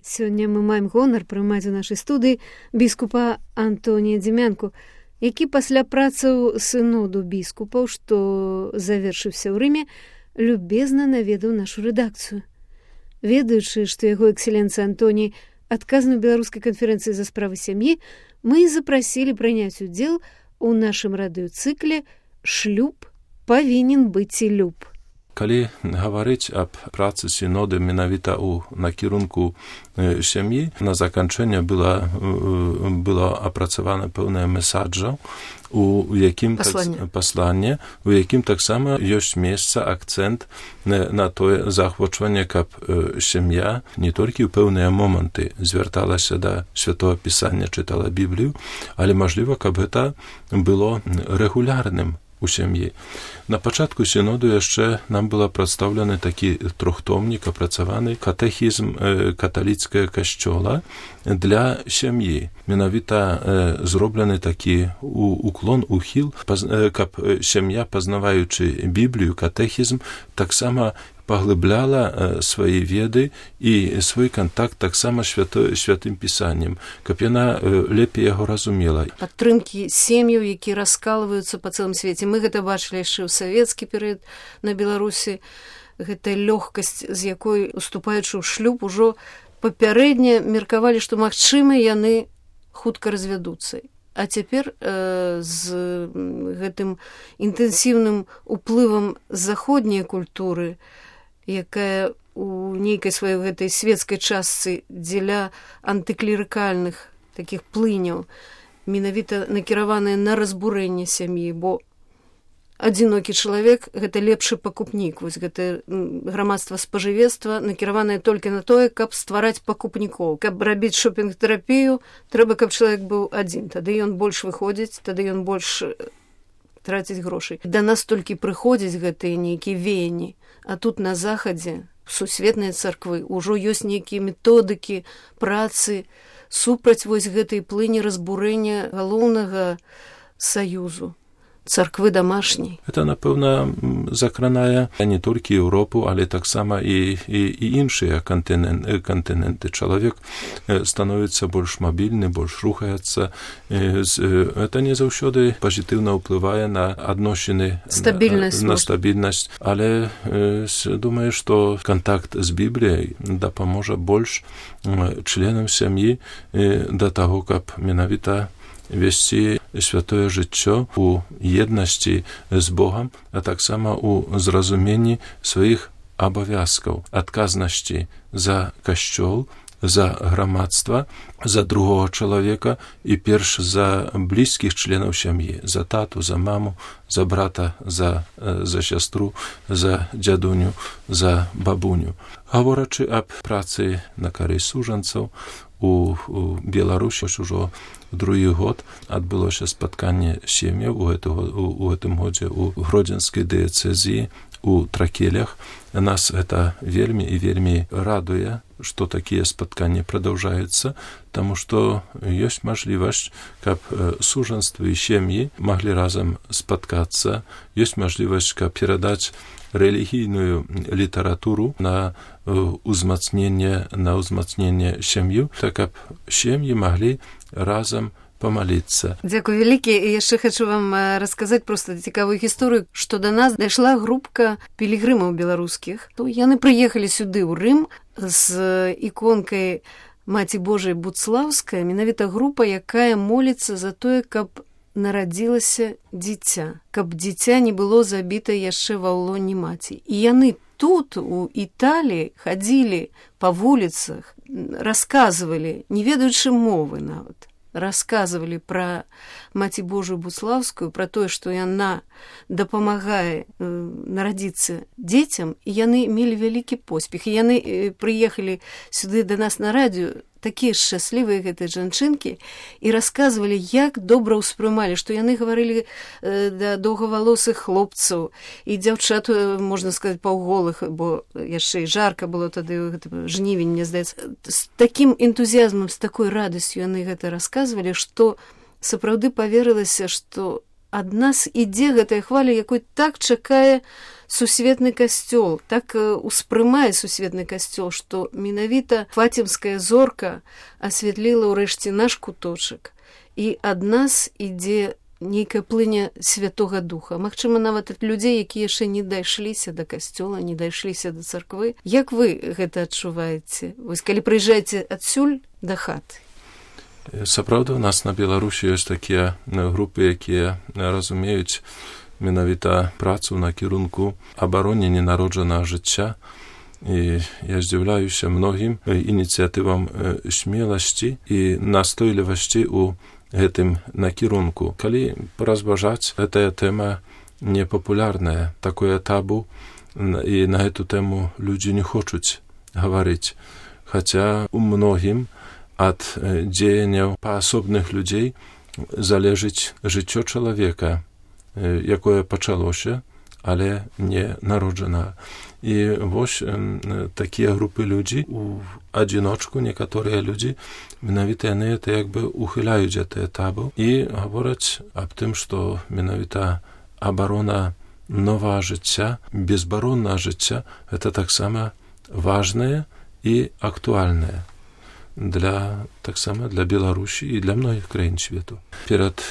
Сёння мы маем гонар прымаць у нашай студыі біскупа Антонія Дзімянку, які пасля працаў сыноду біскупаў, што завершыўся ў Рыме, любезна наведаў нашу рэдакцыю. Ведаючы, што яго экселенцыя Антоній адказны ў беларускай канферэнцыі за справы сям'і, мы запрасілі прыняць удзел у нашым радыёцыкле «Шлюб павінен быць і люб». Калі гаварыць аб працы сіноды менавіта ў накірунку сям'і, на заканчэнне было апрацавана пэўнае месаджа, у якім пасланне, у якім таксама ёсць месца, акцэнт на тое заахвочванне, каб сям'я не толькі ў пэўныя моманты звярталася да Святого Пісання, чытала Біблію, але, мажліва, каб гэта было рэгулярным у сям'і. На пачатку сіноду яшчэ нам была прадстаўлены такі трохтомнік, апрацаваны катэхізм каталіцкага касцёла для сям'і. Менавіта зроблены такі ухіл, каб сям'я, пазнаваючы Біблію, катэхізм, таксама паглыбляла свае веды і свой кантакт таксама святым пісаннем, каб яна лепей яго разумела. Падтрымкі сем'яў, які раскалваюцца па цэлым свеце. Мы гэта бачылі яшчэ ў савецкі перыяд на Беларусі. Гэта лёгкасць, з якой, уступаючы ў шлюб, ужо папярэдне меркавалі, што, магчыма, яны хутка развядуцца. А цяпер з гэтым інтэнсіўным уплывам заходняй культуры, якая у нейкай сваёй гэтай свецкай частцы дзеля антыклерыкальных такіх плыняў, менавіта накіраваная на разбурэнне сям'і, бо адзінокі чалавек — гэта лепшы пакупнік. Вось гэта грамадства спажывецтва накіраванае толькі на тое, каб ствараць пакупнікоў. Каб рабіць шопінг-тэрапію, трэба, каб чалавек быў адзін. Тады ён больш выходзіць, тады ён больш траціць грошай. Да нас толькі прыходзяць гэтыя нейкія веянні, а тут на захадзе сусветныя царквы ўжо ёсць нейкія методыкі працы супраць вось гэтай плыні разбурэння галоўнага саюзу царквы дамашняй. Гэта, напэўна, закранае не толькі Еўропу, але таксама і іншыя кантыненты. Чалавек становіцца больш мабільны, больш рухаецца. Гэта не заўсёды пазітыўна ўплывае на адносіны, на стабільнасць. Але думаю, што кантакт з Бібліяй дапаможа больш членам сям'і да таго, каб менавіта весці святое жыццё у еднасці з Богам, а таксама у зразуменні сваіх абавязкаў, адказнасці за касцёл, за грамадства, за другога чалавека і перш за блізкіх членаў сям'і, за тату, за маму, за брата, за сястру, за дзядуню, за бабуню. Гаворачы аб працы на карысць сужанцаў, у Беларусі ужо другі год адбылося спатканне сем'яў у гэтым годзе у Гродзенскай дыяцэзіі у Тракелях. Нас гэта вельмі і вельмі радуе, што такія спатканні прадаўжаюцца, таму што ёсць мажлівасць, каб сужанствы і сем'і маглі разам спаткацца, ёсць мажлівасць, каб перадаць рэлігійную літаратуру на ўзмацненне сям'ю, так каб сем'і маглі разам памаліцца. Дзякуй вялікі. І яшчэ хачу вам расказаць проста цікавую гісторыю, што да нас дайшла групка пілігрымаў беларускіх. Яны прыехалі сюды ў Рым з іконкай Маці Божай Буцлаўскай, менавіта група, якая моліцца за тое, каб нарадзілася дзіця, каб дзіця не было забіта яшчэ ва лоне маці. І яны тут, у Італіі, хадзілі па вуліцах, расказвалі, не ведаючы мовы нават, расказвалі пра Маці Божую Буцлаўскую, пра тое, што яна дапамагае нарадзіцца дзецям, і яны мелі вялікі поспех. І яны прыехалі сюды да нас на радыё, такія шчаслівыя гэтыя жанчынкі, і расказвалі, як добра ўспрымалі, што яны гаварылі да доўгавалосых хлопцаў і дзяўчат, можна сказаць, паўголых, бо яшчэ і жарка было тады, жнівень, мне здаецца. З такім энтузіязмам, з такой радасцю яны гэта расказвалі, што сапраўды паверылася, што ад нас ідзе гэтая хваля, якой так чакае сусветны касцёл, так успрымае сусветны касцёл, што менавіта фацімская зорка асвятліла ўрэшце наш куточак, і ад нас ідзе нейкая плыня Святога Духа. Магчыма, нават ад людзей, якія яшчэ не дайшліся да касцёла, не дайшліся да царквы. Як вы гэта адчуваеце? Вось калі прыязджаеце адсюль да хаты? Сапраўды, у нас на Беларусі ёсць такія групы, якія разумеюць менавіта працу на кірунку абароне ненароджанага жыцця. І я здзіўляюся многім ініцыятывам смеласці і настойлівасці ў гэтым накірунку. Калі паразважаць, гэтая тэма непапулярная, такое табу, і на гэту тэму людзі не хочуць гаварыць. Хаця у многім ад дзеянняў паасобных людзей залежыць жыццё чалавека, якое пачалося, але не народжана. І вось такія групы людзі у адзіночку, некаторыя людзі, менавіта яны это як бы ухіляюць гэтае табу і гавораць аб тым, што менавіта абарона новага жыцця, безбароннага жыцця, гэта таксама важнае і актуальнае таксама для Беларусі і для многіх краін свету. Перад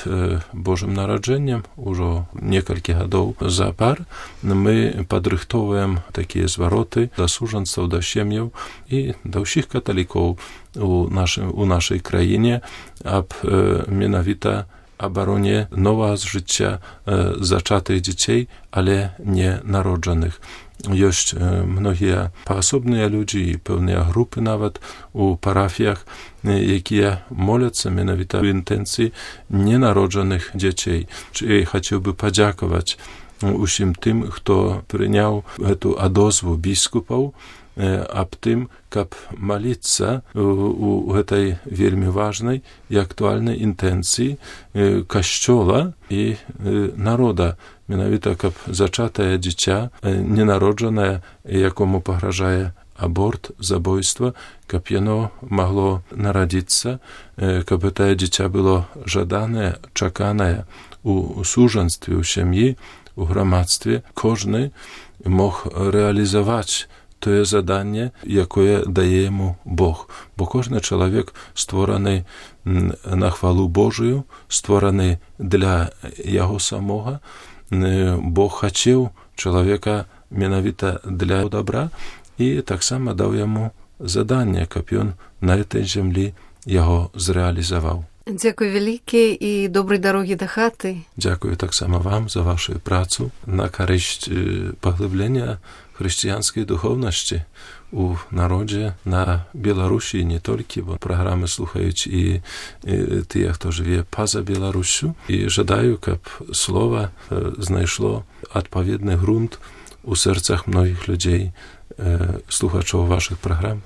Божым нараджэннем ужо некалькі гадоў запар мы падрыхтоўваем такія звароты да сужанцаў, да сем'яў і да ўсіх каталікоў у нашай краіне аб менавіта абароне новага жыцця зачатых дзяцей, але не народжаных. Ёсць многія паасобныя людзі і пэўныя групы нават у парафіях, якія моляцца менавіта ў інтэнцыі ненароджаных дзяцей. І хацеў бы падзякаваць усім тым, хто прыняў гэту адозву біскупаў аб тым, каб маліцца у гэтай вельмі важнай і актуальнай інтэнцыі касцёла і народа, менавіта каб зачатае дзіця ненароджанае, якому пагражае аборт, забойства, каб яно магло нарадзіцца, каб гэтае дзіця было жаданае, чаканае у сужанстве, у сям'і, у грамадстве. Кожны мог рэалізаваць тое заданне, якое дае яму Бог. Бо кожны чалавек створаны на хвалу Божую, створаны для яго самога. Бог хацеў чалавека менавіта для добра і таксама даў яму заданне, каб ён на этой зямлі яго зрэалізаваў. Дзякуй вялікі і добрай дарогі да хаты. Дзякую таксама вам за вашу працу на карысць паглыблення хрысціянскай духоўнасці у народзе на Беларусі, не толькі, бо праграмы слухаюць і тыя, хто жыве па-за Беларусю. І жадаю, каб слова знайшло адпаведны грунт у сэрцах многіх людзей, слухачоў вашых праграм.